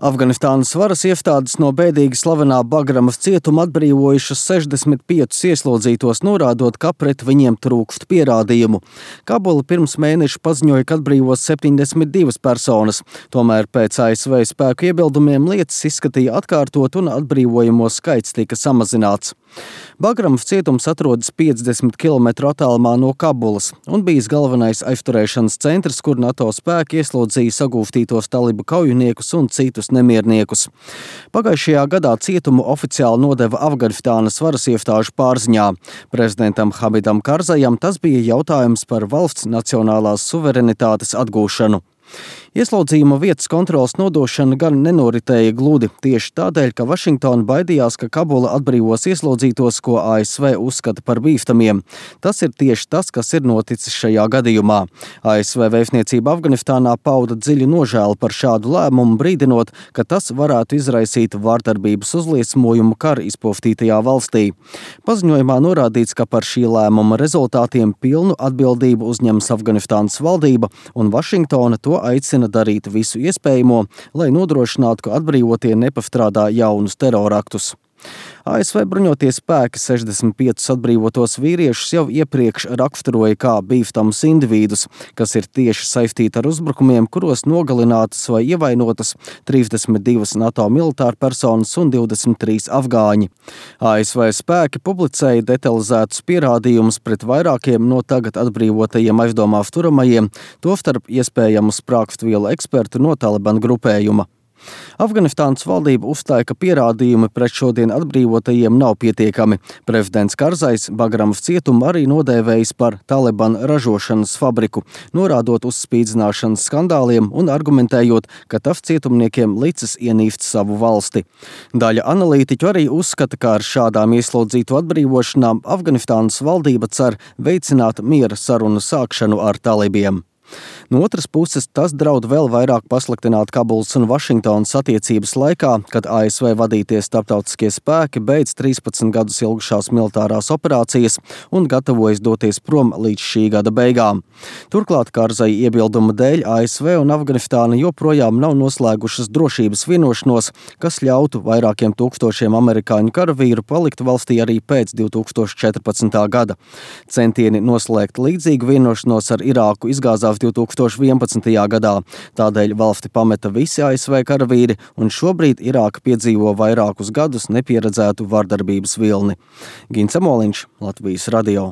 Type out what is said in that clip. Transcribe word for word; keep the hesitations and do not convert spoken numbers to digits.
Afganistānas varas iestādes no bēdīgi slavenā Bagramas cietuma atbrīvojušas sešdesmit piecus ieslodzītos, norādot, ka pret viņiem trūkst pierādījumu. Kabula pirms mēneša paziņoja, ka atbrīvos septiņdesmit divas personas. Tomēr pēc A S V spēku iebildumiem lietas izskatīja atkārtot un atbrīvojamo skaits tika samazināts. Bagramas cietums atrodas piecdesmit kilometru attālumā no Kabulas un bijis galvenais aizturēšanas centrs, kur NATO spēki ieslodzīja sagūstītos talibu kaujiniekus un citus nemierniekus. Pagājušajā gadā cietumu oficiāli nodeva Afganistānas varas iestāžu pārziņā. Prezidentam Hamidam Karzajam tas bija jautājums par valsts nacionālās suverenitātes atgūšanu. Ieslodzījuma vietas kontrolas nodošana gan nenoritēja gludi, tieši tādēļ, ka Vašingtona baidījās, ka Kabula atbrīvos ieslodzītos, ko A S V uzskata par bīstamiem. Tas ir tieši tas, kas ir noticis šajā gadījumā. A S V vēstniecība Afganistānā pauda dziļu nožēlu par šādu lēmumu, brīdinot, ka tas varētu izraisīt vārdarbības uzliesmojumu kara izpostītajā valstī. Paziņojumā norādīts, ka par šī lēmuma rezultātiem pilnu atbildību uzņems Afganistānas valdība, un Vašingtona to aicina darīt visu iespējamo, lai nodrošinātu, ka atbrīvotie nepastrādā jaunus teroraktus. A S V bruņotie spēki sešdesmit piecus atbrīvotos vīriešus jau iepriekš raksturoja kā bīstamus individus, kas ir tieši saistīti ar uzbrukumiem, kuros nogalinātas vai ievainotas trīsdesmit divas NATO militāra personas un divdesmit trīs afgāņi. A S V spēki publicēja detalizētus pierādījumus pret vairākiem no tagad atbrīvotajiem aizdomās turamajiem, tostarp iespējamu sprākstvielu ekspertu no Taliban grupējuma. Afganistānas valdība uzstāja, ka pierādījumi pret šodien atbrīvotajiem nav pietiekami. Prezidents Karzais Bagramas cietumu arī nodēvējis par Taliban ražošanas fabriku, norādot uz spīdzināšanas skandāliem un argumentējot, ka tas cietumniekiem licis ienīst savu valsti. Daļa analītiķu arī uzskata, ka ar šādām ieslodzītu atbrīvošanām Afganistānas valdība cer veicināt miera sarunu sākšanu ar talibiem. No otras puses, tas draud vēl vairāk pasliktināt Kabulas un Vašingtonas attiecības laikā, kad A S V vadītie starptautiskie spēki beidz trīspadsmit gadus ilgušās militārās operācijas un gatavojas doties prom līdz šī gada beigām. Turklāt Karzai iebilduma dēļ A S V un Afganistāna joprojām nav noslēgušas drošības vienošanos, kas ļautu vairākiem tūkstošiem amerikāņu karavīru palikt valstī arī pēc divi tūkstoši četrpadsmitā gada. Centieni noslēgt līdzīgu vienošanos ar Irāku izgāzās divi tūkstoši vienpadsmitajā gadā. Tādēļ valsti pameta visi A S V karavīri, un šobrīd Irāka piedzīvo vairākus gadus nepieredzētu vardarbības vilni. Gins Amoliņš, Latvijas radio.